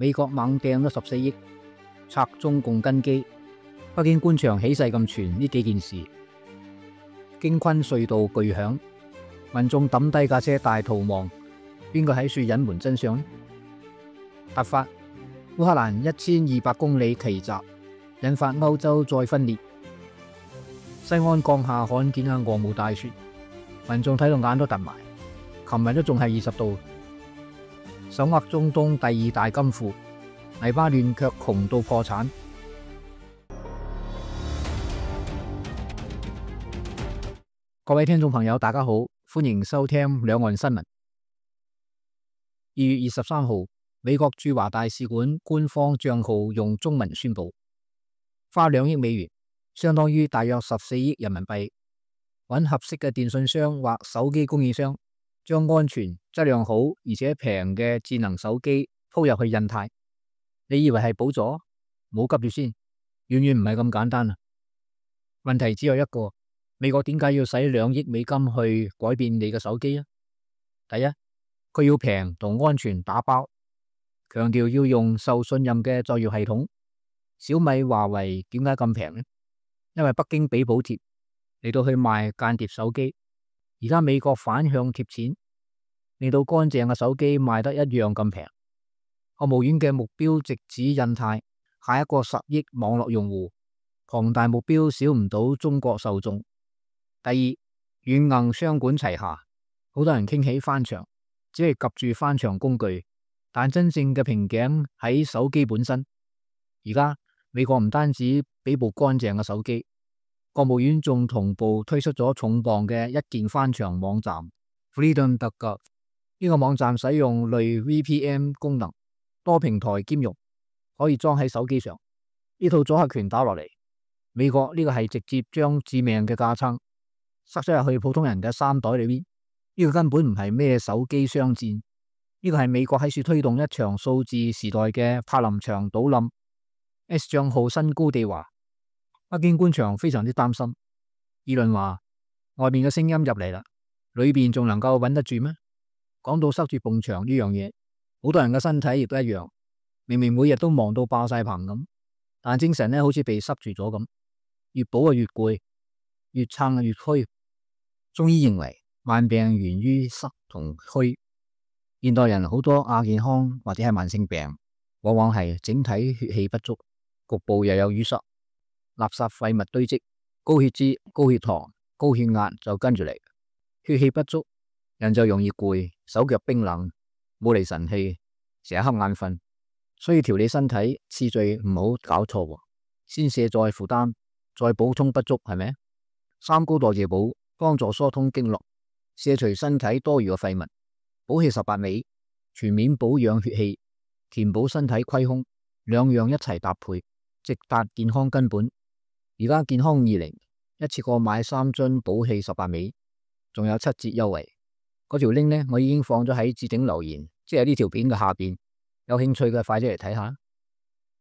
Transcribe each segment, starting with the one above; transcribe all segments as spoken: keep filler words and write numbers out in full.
美國猛掟咗十四億拆中共根基，北京官場起勢咁傳呢幾件事。京昆隧道巨響，民眾抌低架車大逃亡，邊個喺處隱瞞真相呢？突發烏克蘭一千二百公里奇襲，引發歐洲再分裂。西安降下罕見嘅鵝毛大雪，民眾睇到眼都突埋。琴日都仲係二十度。手握中東第二大金庫，黎巴嫩卻窮到破產。各位聽眾朋友，大家好，歡迎收聽兩岸新聞。二月二十三號，美國駐華大使館官方賬號用中文宣布，花兩億美元，相當於大約十四億人民幣，揾合適嘅電信商或手機供應商，將安全、質量好而且平嘅智能手機鋪入去印太。你以為係補助？唔好急住先，遠遠唔係咁簡單啊！問題只有一個，美國點解要使兩億美金去改變你嘅手機啊？第一，佢要平同安全打包，強調要用受信任嘅作業系統。小米、華為點解咁平呢？因為北京俾補貼嚟到去賣間諜手機。而家美國反向貼錢，令到乾淨嘅手機賣得一樣咁平。國務院嘅目標直指印太，下一個十億網絡用戶，龐大目標少唔到中國受眾。第二，軟硬雙管齊下，好多人傾起翻牆，只係及住翻牆工具，但真正嘅瓶頸喺手機本身。而家美國唔單止俾部乾淨嘅手機，國務院仲同步推出咗重磅嘅一鍵翻牆網站 Freedom dot gov。 呢個網站使用類 V P N 功能，多平台兼容，可以裝喺手機上。呢套阻嚇拳打落嚟，美國呢個係直接將致命嘅架撐塞咗入去普通人嘅衫袋裏邊。呢個根本唔係咩手機商戰，呢個係美國喺處推動一場數字時代嘅柏林牆倒冧。S 賬號新高地話，北京官場非常之擔心，議論話外面嘅聲音入嚟啦，裏邊仲能夠穩得住咩？講到塞住埲牆呢樣嘢，好多人嘅身體亦都一樣，明明每日都忙到爆晒棚咁，但精神呢好似被塞住咗咁，越補啊越攰，越撐啊越虛。中醫認為萬病源於塞同虛，現代人好多亞健康或者係慢性病，往往係整體血氣不足，局部又有淤塞。垃圾廢物堆積，高血脂、高血糖、高血壓就跟住嚟。血氣不足，人就容易攰，手腳冰冷，冇嚟神氣，成日瞌眼瞓。所以調理身體次序唔好搞錯，先卸再負擔，再補充不足，係咪？三高代謝補幫助疏通經絡，卸除身體多餘嘅廢物，補氣十八味，全面保養血氣，填補身體虧空，兩樣一齊搭配，直達健康根本。而家健康二零一次過買三樽補氣十八味，仲有七折優惠。嗰條 link 呢，我已經放咗喺置頂留言，即係呢條片嘅下邊。有興趣嘅快啲嚟睇下。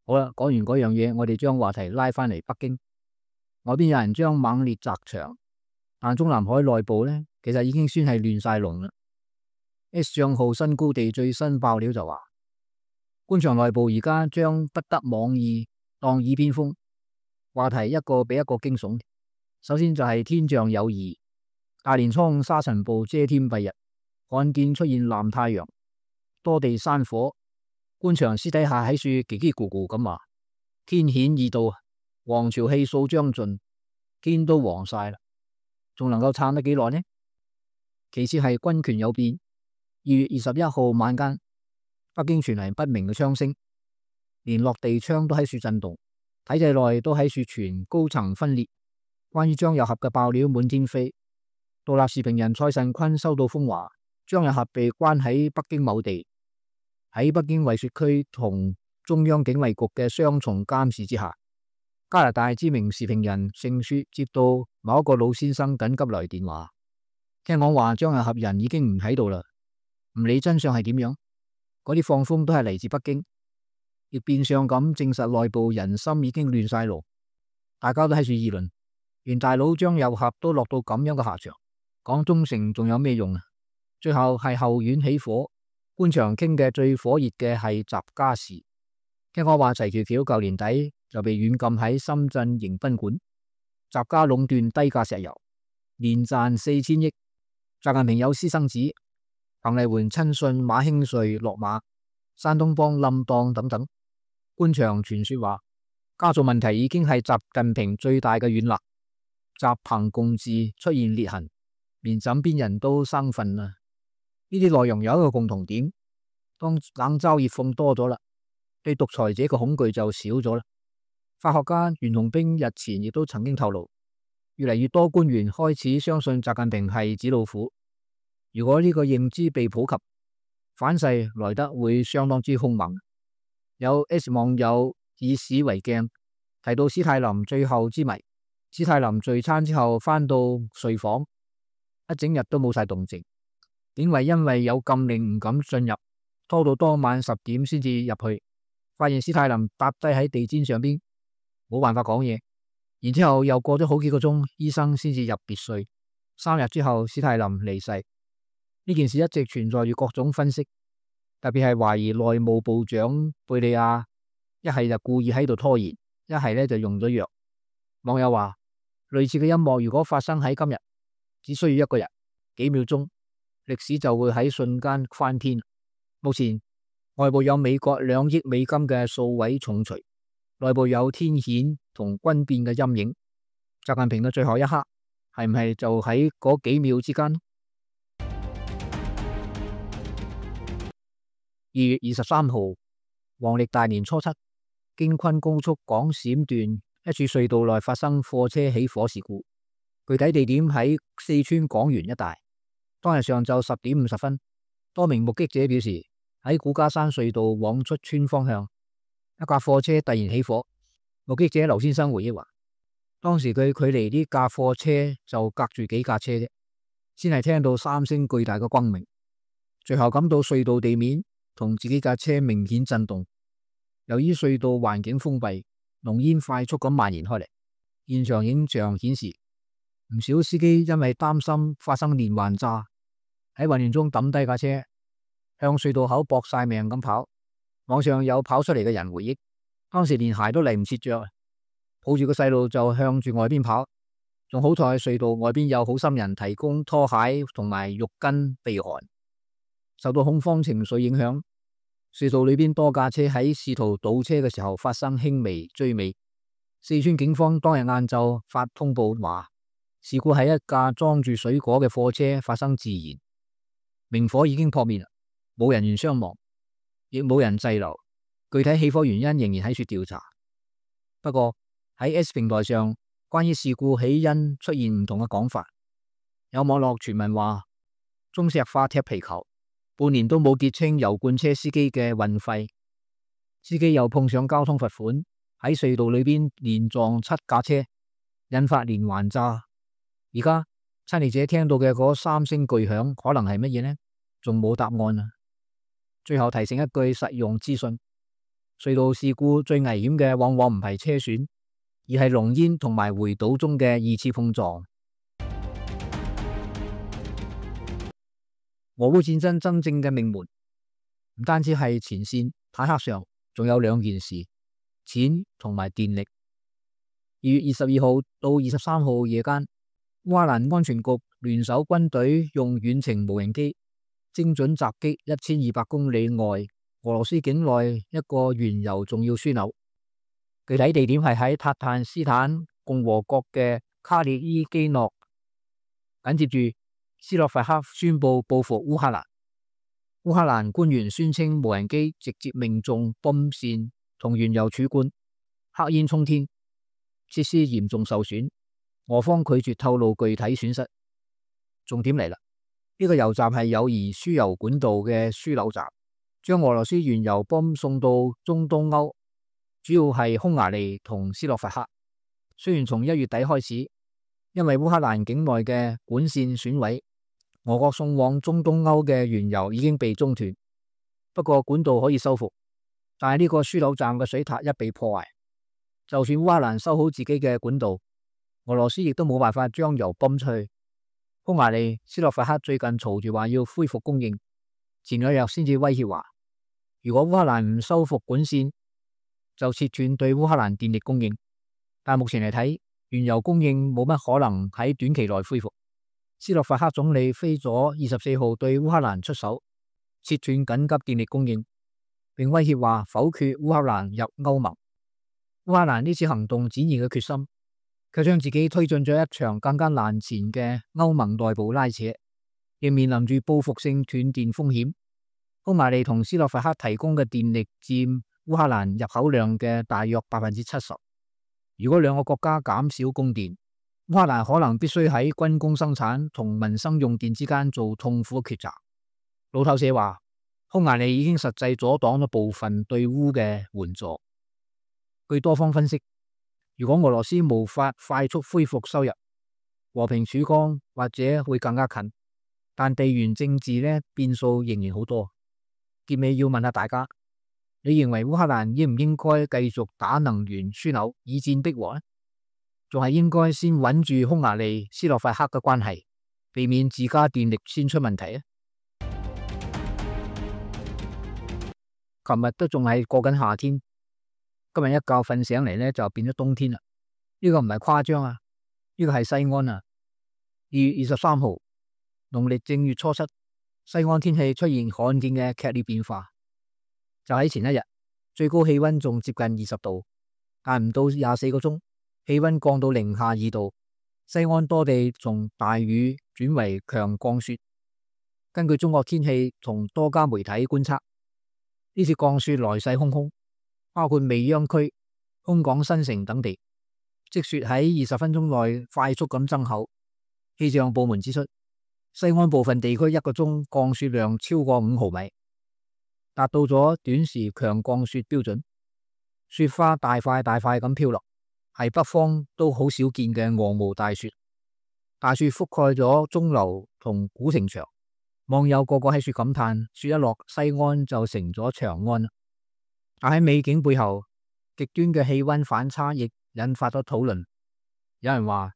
好啦，講完嗰樣嘢，我哋將話題拉翻嚟北京。外邊有人將猛烈砸牆，但中南海內部呢，其實已經算係亂晒龍啦。S 賬號新高地最新爆料就話，官場內部而家將不得網易當耳邊風。話題一個比一個驚悚。首先就係天象有異，大年初五沙塵暴遮天蔽日，罕見出現藍太陽，多地山火。官場私底下喺處嘰嘰咕咕咁話，天顯已到，黃潮氣數將盡，天都黃晒啦，仲能夠撐得幾耐呢？其次係軍權有變。二月二十一號晚間，北京傳嚟不明嘅槍聲，連落地窗都喺處震動。體制內都喺處傳高層分裂，關於張又俠嘅爆料滿天飛。獨立時評人蔡慎坤收到風話，張又俠被關喺北京某地，喺北京惠雪區同中央警衛局嘅雙重監視之下。加拿大知名時評人盛雪接到某一個老先生緊急來電話，聽講話張又俠人已經唔喺度啦，唔理真相係點樣，嗰啲放風都係嚟自北京。亦變相咁證實內部人心已經亂晒路，大家都喺處議論，連大佬張又俠都落到咁樣嘅下場，講忠誠仲有咩用啊？最後係後院起火，官場傾嘅最火熱嘅係習家事，聽講話齊橋橋舊年底就被軟禁喺深圳迎賓館，習家壟斷低價石油，年賺四千億。習近平有私生子，彭麗媛親信馬興瑞落馬，山東幫冧檔等等。官場傳說話，家族問題已經係習近平最大嘅軟肋，習彭共治出現裂痕，連枕邊人都生分啦。呢啲內容有一個共同點，當冷嘲熱諷多咗啦，對獨裁者嘅恐懼就少咗啦。法學家袁隆兵日前亦都曾經透露，越嚟越多官員開始相信習近平係紙老虎。如果呢個認知被普及，反噬來得會相當之兇猛。有 S 網友以史為鏡，提到史泰林最後之謎。史泰林聚餐之後返到睡房，一整日都冇晒動靜。典韋因為有禁令唔敢進入，拖到當晚十點先至入去，發現史泰林搭低喺地氈上邊，冇辦法講嘢。然之後又過咗好幾個鐘，醫生先至入別睡。三日之後，史泰林離世。呢件事一直存在住各種分析，特別係懷疑內務部長貝利亞一係就故意喺度拖延，一係咧就用咗藥。網友話，類似嘅音樂如果發生喺今日，只需要一個人幾秒鐘，歷史就會喺瞬間翻天。目前外部有美國兩億美金嘅數位重錘，內部有天譴同軍變嘅陰影。習近平嘅最後一刻係唔係就喺嗰幾秒之間？二月二十三號，黃曆大年初七，京昆高速廣閃段一處隧道內發生貨車起火事故，具體地點喺四川廣元一帶。當日上晝十點五十分，多名目擊者表示，喺古家山隧道往出川方向，一架貨車突然起火。目擊者劉先生回憶話，當時佢距離呢架貨車就隔住幾架車啫，先係聽到三聲巨大嘅轟鳴，隨後感到隧道地面同自己架車明顯震動。由於隧道環境封閉，濃煙快速咁蔓延開嚟。現場影像顯示，唔少司機因為擔心發生連環炸，喺混亂中抌低架車，向隧道口搏晒命咁跑。網上有跑出嚟嘅人回憶，當時連鞋都嚟唔切着，抱住個細路就向住外邊跑，仲好彩隧道外邊有好心人提供拖鞋同埋浴巾避寒。受到恐慌情緒影響，隧道裏邊多架車喺試圖倒車嘅時候發生輕微追尾。四川警方當日晏晝發通報話，事故係一架裝住水果嘅貨車發生自燃，明火已經撲滅，冇人員傷亡，亦冇人滯留。具體起火原因仍然喺處調查。不過喺 S 平台上，關於事故起因出現唔同嘅講法。有網絡傳聞話，中石化踢皮球，半年都冇結清油罐車司機嘅運費，司機又碰上交通罰款，喺隧道裏邊連撞七架車，引發連環炸。而家親歷者聽到嘅嗰三聲巨響可能係乜嘢呢？仲冇答案啊！最後提醒一句實用資訊，隧道事故最危險嘅往往唔係車損，而係濃煙同埋回倒中嘅二次碰撞。俄烏戰爭真正嘅命門唔單止係前線坦克上，仲有兩件事：錢同埋電力。二月二十二號到二十三號夜間，烏克蘭安全局聯手軍隊用遠程無人機精準襲擊一千二百公里外俄羅斯境內一個原油重要樞紐，具體地點係喺塔坦斯坦共和國嘅卡列伊基諾。緊接住，斯洛伐克宣布報復烏克蘭。烏克蘭官員宣稱無人機直接命中泵線同原油儲罐，黑煙衝天，設施嚴重受損。俄方拒絕透露具體損失。重點嚟啦，呢個油站係友誼輸油管道嘅樞紐站，將俄羅斯原油泵送到中東歐，主要係匈牙利同斯洛伐克。雖然從一月底開始，因為烏克蘭境內嘅管線損毀，俄國送往中東歐嘅原油已經被中斷，不過管道可以修復。但係呢個樞紐站嘅水塔一被破壞，就算烏克蘭修好自己嘅管道，俄羅斯亦都冇辦法將油泵出去。匈牙利、斯洛伐克最近嘈住話要恢復供應，前兩日先至威脅話，如果烏克蘭唔修復管線，就切斷對烏克蘭電力供應。但目前嚟睇，原油供應冇乜可能喺短期內恢復。斯洛伐克總理菲佐二十四號對烏克蘭出手，切斷緊急電力供應，並威脅話否決烏克蘭入歐盟。烏克蘭呢次行動展現嘅決心，卻將自己推進咗一場更加難纏嘅歐盟內部拉扯，亦面臨住報復性斷電風險。匈牙利同斯洛伐克提供嘅電力佔烏克蘭入口量嘅大約百分之七十。如果兩個國家減少供電，烏克蘭可能必須喺軍工生產同民生用電之間做痛苦嘅抉擇。路透社話，匈牙利已經實際阻擋咗部分對烏嘅援助。據多方分析，如果俄羅斯無法快速恢復收入，和平曙光或者會更加近。但地緣政治呢，變數仍然好多。結尾要問下大家，你認為烏克蘭應唔應該繼續打能源樞紐以戰逼和呢？仲係應該先穩住匈牙利、斯洛伐克嘅關係，避免自家電力先出問題啊？琴日都仲係過緊夏天，今日一覺瞓醒嚟呢，就變咗冬天啦。呢個唔係誇張啊，呢個係西安啊。二月二十三號，農曆正月初七，西安天氣出現罕見嘅劇烈變化。就喺前一日，最高氣溫仲接近二十度，但唔到廿四個鐘，氣溫降到零下二度。西安多地從大雨轉為強降雪。根據中國天氣同多家媒體觀測，呢次降雪來勢洶洶，包括未央區、空港新城等地，積雪喺二十分鐘內快速咁增厚。氣象部門指出，西安部分地區一個鐘降雪量超過五毫米，達到咗短時強降雪標準。雪花大塊大塊咁飄落，係北方都好少見嘅鵝毛大雪。大雪覆蓋咗鐘樓同古城牆，網友個個喺雪感嘆：雪一落，西安就成咗長安。但喺美景背後，極端嘅氣溫反差亦引發咗討論。有人話，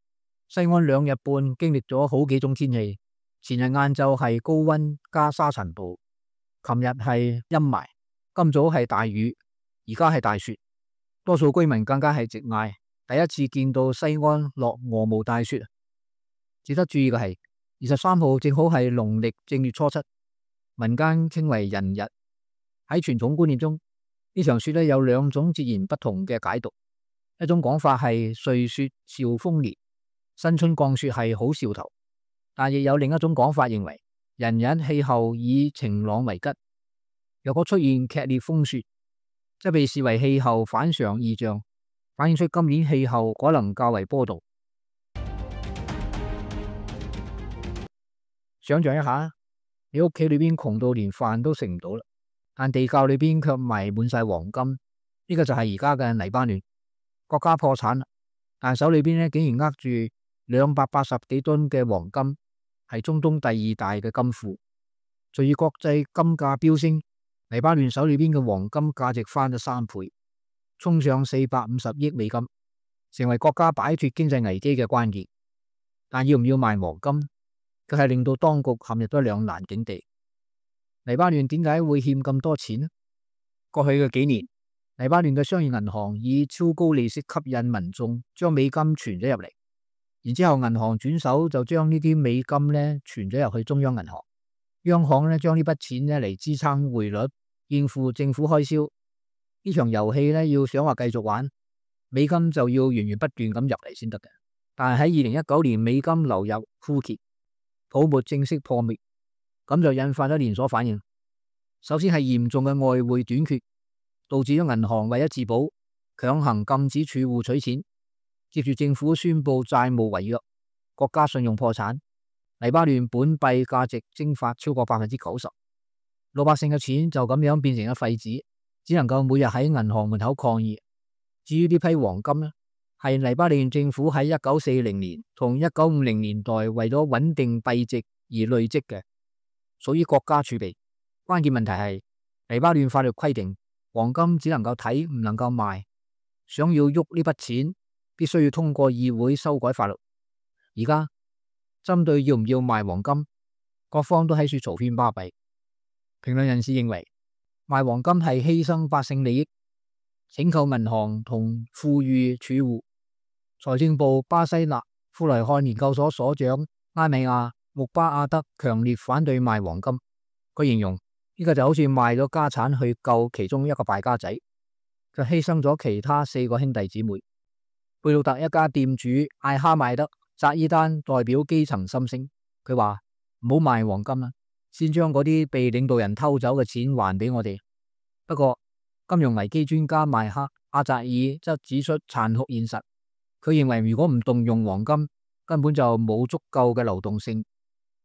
西安兩日半經歷咗好幾種天氣，前日晏晝係高溫加沙塵暴，琴日係陰霾，今早係大雨，而家係大雪。多數居民更加係直嗌，第一次見到西安落鵝毛大雪。值得注意嘅係，二十三號正好係農曆正月初七，民間稱為人日。喺傳統觀念中，呢場雪咧有兩種截然不同嘅解讀。一種講法係歲雪兆豐年，新春降雪係好兆頭，但亦有另一種講法認為人日氣候以晴朗為吉。若果出現劇烈風雪，則被視為氣候反常異象，反映出今年氣候可能較為波動。想象一下，你屋企裏邊窮到連飯都食唔到啦，但地窖裏邊卻埋滿晒黃金，呢個就係而家嘅黎巴嫩。國家破產啦，但手裏邊咧竟然握住兩百八十幾噸嘅黃金，係中東第二大嘅金庫。隨住國際金價飆升，黎巴嫩手裏邊嘅黃金價值翻咗三倍，衝上四百五十億美金，成為國家擺脫經濟危機嘅關鍵。但要唔要賣黃金，佢係令到當局陷入咗兩難境地。黎巴嫩點解會欠咁多錢呢？過去嘅幾年，黎巴嫩嘅商業銀行以超高利息吸引民眾將美金存咗入嚟，然之後銀行轉手就將呢啲美金咧存咗入去中央銀行，央行咧將呢筆錢咧嚟支撐匯率，應付政府開銷。呢場遊戲咧要想話繼續玩，美金就要源源不斷咁入嚟先得嘅。但係喺二零一九年，美金流入枯竭，泡沫正式破滅，咁就引發咗連鎖反應。首先係嚴重嘅外匯短缺，導致咗銀行為咗自保，強行禁止儲戶取錢。接住政府宣布債務違約，國家信用破產，黎巴嫩本幣價值蒸發超過百分之九十，老百姓嘅錢就咁樣變成咗廢紙，只能夠每日喺銀行門口抗議。至於呢批黃金呢，係黎巴嫩政府喺一九四零年同一九五零年代為咗穩定幣值而累積嘅，屬於國家儲備。關鍵問題係黎巴嫩法律規定，黃金只能夠睇唔能夠賣，想要喐呢筆錢，必須要通過議會修改法律。而家針對要唔要賣黃金，各方都喺處嘈喧巴閉。評論人士認為，賣黃金係犧牲百姓利益，請求銀行同富裕儲戶。財政部巴西納富萊漢研究所所長拉米亞穆巴亞德強烈反對賣黃金。佢形容呢個就好似賣咗家產去救其中一個敗家仔，就犧牲咗其他四個兄弟姊妹。貝魯特一家店主艾哈邁德扎伊丹代表基層心聲，佢話唔好賣黃金啦，先將嗰啲被領導人偷走嘅錢還俾我哋。不過金融危機專家邁克阿扎爾則指出殘酷現實，佢認為如果唔動用黃金，根本就冇足夠嘅流動性，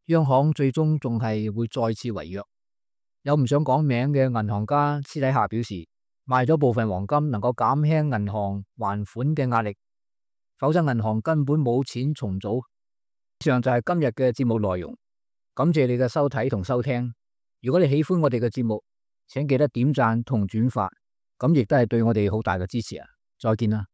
央行最終仲係會再次違約。有唔想講名嘅銀行家私底下表示，賣咗部分黃金能夠減輕銀行還款嘅壓力，否則銀行根本冇錢重組。以上就係今日嘅節目內容，感謝你嘅收睇同收聽。如果你喜歡我哋嘅節目，請記得點讚同轉發，咁亦都係對我哋好大嘅支持啊！再見啦。